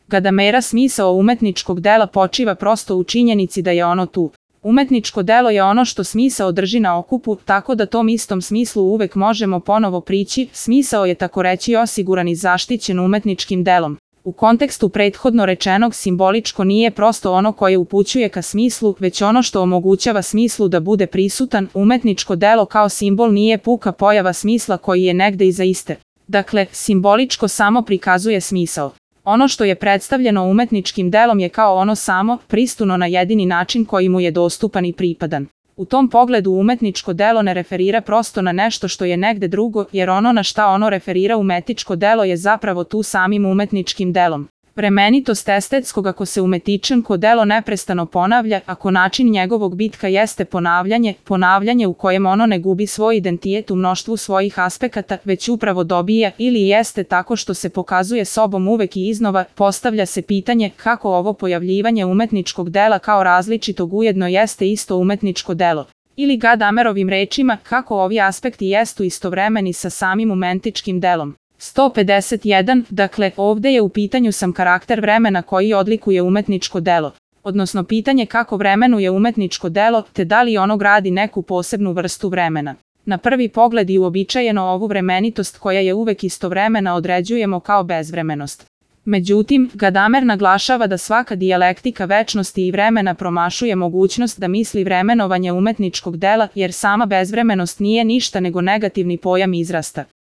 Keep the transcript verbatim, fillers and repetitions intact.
Gadamera smisao umetničkog dela počiva prosto u činjenici da je ono tu. Umetničko delo je ono što smisao drži na okupu, tako da tom istom smislu uvek možemo ponovo prići. Smisao je takoreći osiguran i zaštićen umetničkim delom. U kontekstu prethodno rečenog, simboličko nije prosto ono koje upućuje ka smislu, već ono što omogućava smislu da bude prisutan. Umetničko delo kao simbol nije puka pojava smisla koji je negde iza iste. Dakle, simboličko samo prikazuje smisao. Ono što je predstavljeno umetničkim delom je kao ono samo, pristuno na jedini način koji mu je dostupan i pripadan. U tom pogledu umetničko delo ne referira prosto na nešto što je negde drugo, jer ono na šta ono referira umetničko delo je zapravo tu samim umetničkim delom. Vremenitost estetskog ako se umetničko delo neprestano ponavlja, ako način njegovog bitka jeste ponavljanje, ponavljanje u kojem ono ne gubi svoj identitet u mnoštvu svojih aspekata, već upravo dobija ili jeste tako što se pokazuje sobom uvek i iznova, postavlja se pitanje kako ovo pojavljivanje umetničkog dela kao različitog ujedno jeste isto umetničko delo. Ili Gadamerovim rečima, kako ovi aspekti jestu istovremeni sa samim umetničkim delom. sto pedeset jedan. Dakle, ovde je u pitanju sam karakter vremena koji odlikuje umetničko delo, odnosno pitanje kako vremenuje umetničko delo, te da li ono gradi neku posebnu vrstu vremena. Na prvi pogled i uobičajeno ovu vremenitost koja je uvek istovremena određujemo kao bezvremenost. Međutim, Gadamer naglašava da svaka dijalektika večnosti i vremena promašuje mogućnost da misli vremenovanje umetničkog dela, jer sama bezvremenost nije ništa nego negativni pojam izrasta.